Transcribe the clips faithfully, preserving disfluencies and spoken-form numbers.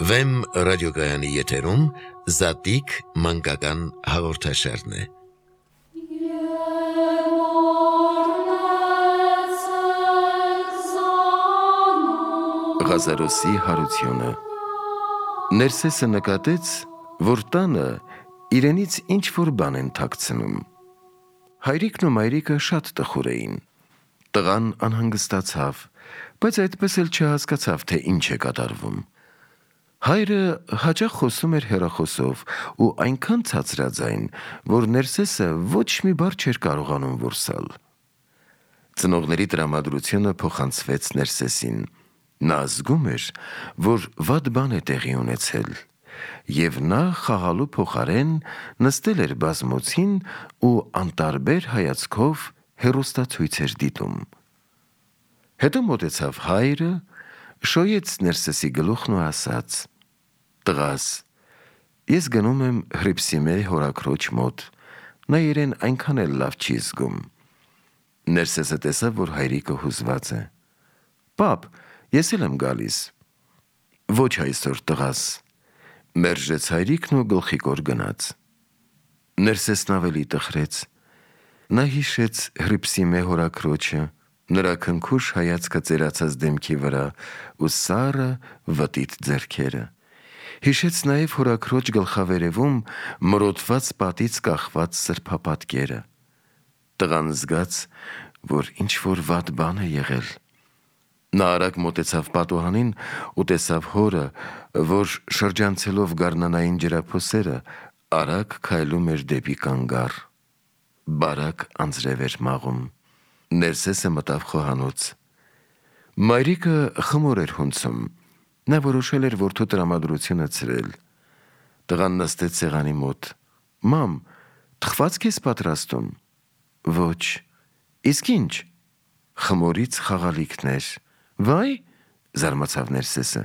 Վեմ ռադիոգայանի եթերում Զատիկ մանկական հաղորդաշարն է։ Ղազարոսի հարությունը։ Ներսեսը նկատեց, որ տանը իրենից ինչ-որ բան են թաքցնում։ Հայրիկն ու մայրիկը շատ տխուր էին։ Տղան անհանգստացավ, բայց այդպես էլ չհասկացավ, թե ինչ է կատարվում։ Հայրը հաճախ խոսում էր հեռախոսով ու այնքան ցածրաձայն, որ Ներսեսը ոչ մի բառ չէր կարողանում որսալ։ Ծնողների տրամադրությունը փոխանցվեց Ներսեսին։ Նա զգում էր, որ վատ բան է տեղի ունեցել, և նա խաղալու փոխարեն նստել էր բազմոցին ու անտարբեր հայացքով հեռուստացույց էր դիտում։ Հետո մոտեցավ հայրը, շոյեց Ներսեսի գլուխն ու ասաց. «Տղաս, ես գնում եմ Հռիփսիմե հորաքրոջ մոտ, նա իրեն այնքան էլ լավ չի զգում»։ Ներսեսը տեսավ, որ հայրիկը հուզված է։ «Պապ, ես էլ եմ գալիս»։ «Ոչ այսօր, տղաս», մերժեց հայրիկն ու գլխիկոր գնաց։ Ներսեսն ավելի տխրեց։ Նա հիշեց Հռիփսիմե հորաքրոջը, նրա քնքուշ հայացքը ծերացած դեմքի վրա ու սառը վտիտ ձեռքերը։ Հիշեց նաև հորաքրոջ գլխավերևում մրոտված պատից կախված սրբապատկերը։ Տղան զգաց, որ ինչ-որ վատ բան է եղել։ Նա արագ մոտեցավ պատուհանին ու տեսավ հորը, որ շրջանցելով գարնանային ջրափոսերը, արագ քայլում էր դեպի կանգառ։ Բարակ անձրև էր մաղում։ Ներսեսը մտավ խոհանոց։ Մայրիկը խմոր էր հունցում։ Նա որոշել էր որդու տրամադրությունը ցրել։ Տղան նստեց սեղանի մոտ։ «Մամ, թխված ես պատրաստում»։ «Ոչ»։ «Իսկ ինչ»։ «Խմորից խաղալիքներ»։ «Վայ», զարմացավ Ներսեսը,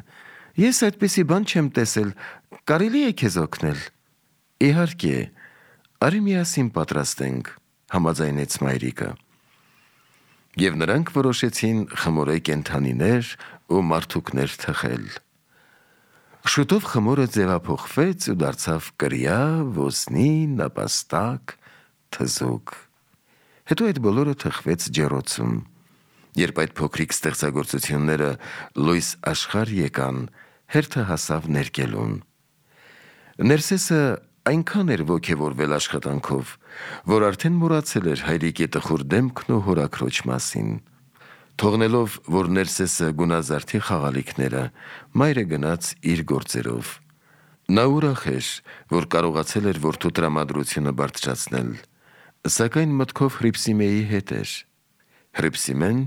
«ես այդպիսի բան չեմ տեսել, կարելի է քեզ օգնել»։ «Իհարկե, արի միասին պատրաստենք», համաձայնեց մայրիկը։ Եվ նրանք որոշեցին խմորե կենդանիներ ու մարդուկներ թխել։ Շուտով խմորը ձևափոխվեց ու դարձավ կրիա, ոսնի, նապաստակ, թզուկ։ Հետո այդ բոլորը թխվեց ջեռոցում։ Երբ այդ փոքրիկ ստեղծագործությունները լույս աշխարհ եկան, հերթը հասավ ներկելուն։ Ներսեսը այնքան էր ոգևորվել աշխատանքով, որ արդեն մոռացել էր հայրիկի տխուր դեմքն ու հորաքրոջ մասին։ Թողնելով, որ Ներսեսը գունազարդի խաղալիքները, մայրը գնաց իր գործերով։ Նա ուրախ էր, որ կարողացել էր որդու տրամադրությունը բարձրացնել, սակայն մտքով Հռիփսիմեի հետ էր։ Հռիփսիմեն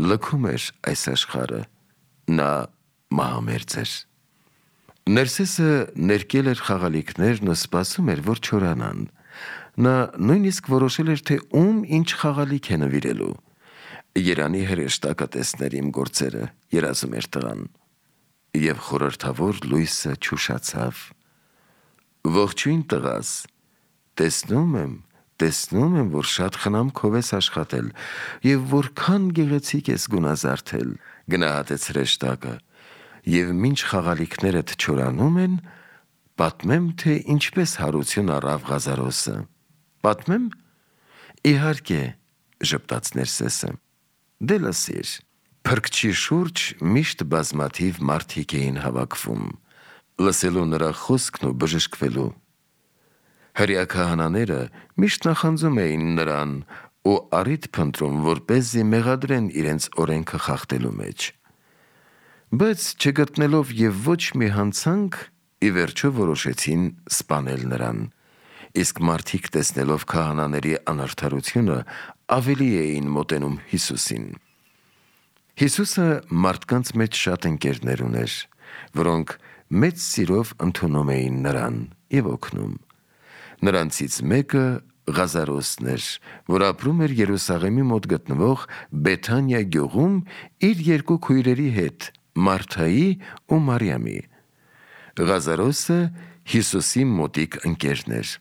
լքում էր այս աշխարհը, նա մահամերձ էր։ Ներսեսը ներկել էր խաղալիքներն ու սպասում էր, որ չորանան։ Նա նույնիսկ որոշել էր, թե ում ինչ խաղալիք է նվիրելու։ «Երանի հրեշտակը տեսներ իմ գործերը», երազում էր տղան։ Եվ խորհրդավոր լույսը չուշացավ։ «Ողջույն, տղաս, տեսնում եմ, տեսնում եմ, որ շատ խնամքով ես աշխատել և որքան գեղեցիկ ես գունազարդել», գնահատեց հրեշտակը։ «Եվ մինչ խաղալիքներդ չորանում են, պատմեմ, թե ինչպես հարություն առավ Ղազարոսը»։ «Պատմեմ»։ «Իհարկե», ժպտաց Ներսեսը։ «Դե լսիր»։ Փրկչի շուրջ միշտ բազմաթիվ մարդիկ էին հավաքվում, լսելու նրա խոսքն ու բժշկվելու։ Հրեա քահանաները միշտ նախանձում էին նրան ու առիթ փնտրում, որպեսզի մեղադրեն իրենց օրենքը խախտելու մեջ։ Բայց չգտնելով և ոչ մի հանցանք, ի վերջո որոշեցին սպանել նրան։ Իսկ մարդիկ, տեսնելով քահանաների անարդարությունը, ավելի էին մոտենում Հիսուսին։ Հիսուսը մարդկանց մեջ շատ ընկերներ ուներ, որոնք մեծ սիրով ընդունում էին նրան և օգնում։ Նրանցից մեկը Ղազարոսն էր, որ ապրում էր Երուսաղեմի մոտ գտնվող Բեթանիա գյուղում իր երկու քույրերի հետ՝ Մարթայի ու Մարիամի։ Ղազարոսը Հիսուսի մոտիկ ընկերն էր։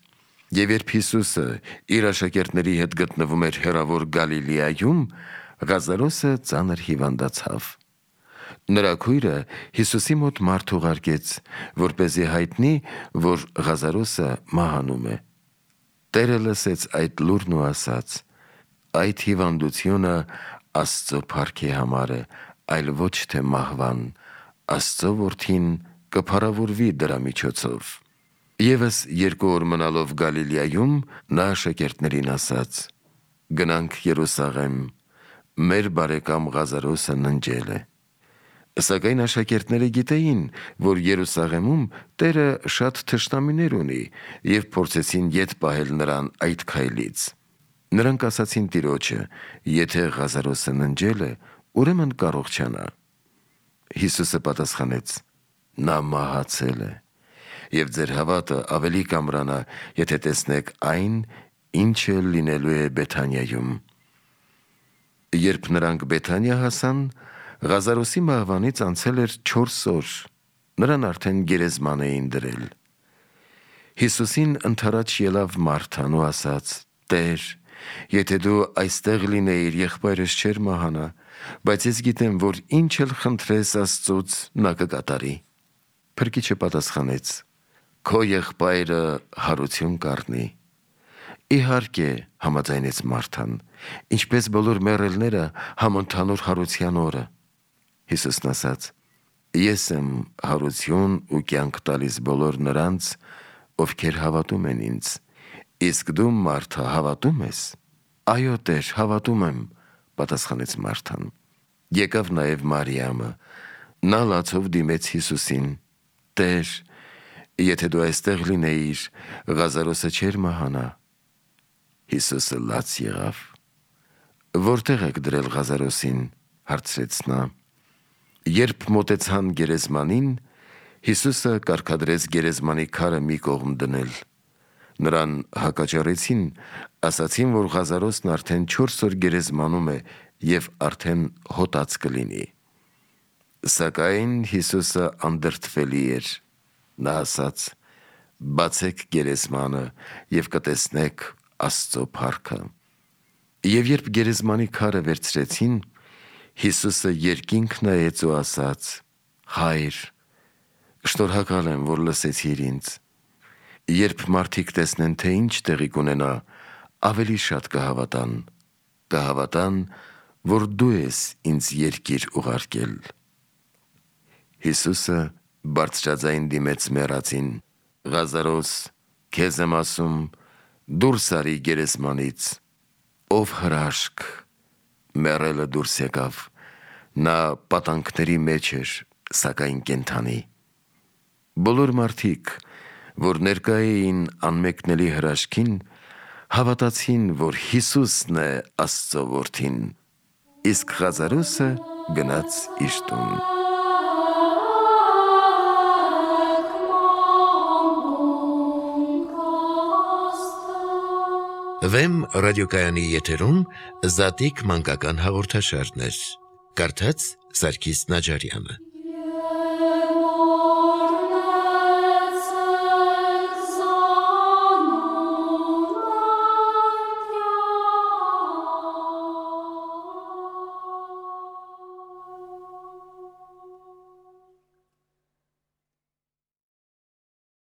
Եվ երբ Հիսուսը իր աշակերտների հետ գտնվում էր հեռավոր Գալիլեայում, Ղազարոսը ծանր հիվանդացավ։ Նրա քույրը Հիսուսի մոտ մարդ ուղարկեց, որպեսզի հայտնի, որ Ղազարոսը մահանում է։ Տերը լսեց այդ լուրն ու ասաց. «Այդ հիվանդությունը Աստծո փառքի համար է, այլ ոչ թե մահվան, Աստծո որդին կփառավորվի դրա միջոցով»։ Եվս երկու օր մնալով Գալիլեայում, նա աշակերտներին ասաց. «Գնանք Երուսաղեմ, մեր բարեկամ Ղազարոսը ննջել է»։ Սակայն աշակերտները գիտեին, որ Երուսաղեմում Տերը շատ թշնամիներ ունի, և փորձեցին ետ պահել նրան այդ քայլից։ Նրանք ասացին Տիրոջը. «Եթե Ղազարոսը ննջել է, ուրեմն կառողջանա»։ Հիսուսը պատասխանեց. «Նա մահացել է, և ձեր հավատը ավելի կամրանա, եթե տեսնեք այն, ինչը լինելու է Բեթանիայում»։ Երբ նրանք Բեթանիա հասան, Ղազարոսի մահվանից անցել էր չորս օր, նրան արդեն գերեզման էին դրել։ Հիսուսին ընդառաջ ելավ Մարթան ու ասաց. «Տեր, եթե դու այստեղ լինեիր, եղբայրս չէր մահանա, բայց ես գիտեմ, որ ինչ էլ խնդրես Աստծուց, նա կկատարի»։ Փրկիչը պատասխանեց. «Քո եղբայրը հարություն կառնի»։ «Իհարկե», համաձայնեց Մարթան, «ինչպես բոլոր մեռելները համընդհանուր հարության օրը»։ Հիսուսն ասաց. «Ես եմ հարություն ու կյանք տալիս բոլոր նրանց, ովքեր հավատում են ինձ։ Իսկ դու, Մարթա, հավատում ես»։ «Այո, Տեր, հավատում եմ», պատասխանեց Մարթան։ Եկավ նաև Մարիամը, նա լացով դիմեց Հիսուսին. «Տեր, եթե դու այստեղ լինեիր, Ղազարոսը չէր մահանա»։ Հիսուսը լաց եղավ։ «Որտե՞ղ եք դրել Ղազարոսին», հարցրեց նա։ Երբ մոտեցան գերեզմանին, Հիսուսը կարգադրեց գերեզմանի քարը մի կողմ դնել։ Նրան հակաճառեցին, ասացին, որ Ղազարոսն արդեն չորս օր գերեզմանում է և արդեն հոտած կլինի։ Սակայն Հիսուսը անդրդվելի էր։ Նա ասաց. «Բացեք գերեզմանը և կտեսնեք Աստծո փառքը»։ Եվ երբ գերեզմանի քարը վերցրեցին, Հիսուսը երկինք նայեց ու ասաց. «Հայր, շնորհակալ եմ, որ լսեցիր ինձ։ Երբ մարդիկ տեսնեն, թե ինչ տեղի կունենա, ավելի շատ կհավատան, կհավատան, որ դու ես ինձ երկիր ուղարկել»։ Հիսուսը բարձրաձայն դիմեց մեռածին. «Ղազարոս, քեզ եմ ասում, դուրս արի գերեզմանից»։ Ով հրաշք, մեռելը դուրս եկավ, նա պատանքների մեջ էր, սակայն կենդանի։ Բոլոր մարդիկ, որ ներկա էին անմեկնելի հրաշքին, հավատացին, որ Հիսուսն է Աստծո որդին, իսկ Ղազարոսը գնաց իր տուն։ Վեմ ռադիոկայանի եթերում Զատիկ մանկական հաղորդաշարներ։ Կարդաց Սարգիս Նաջարյանը։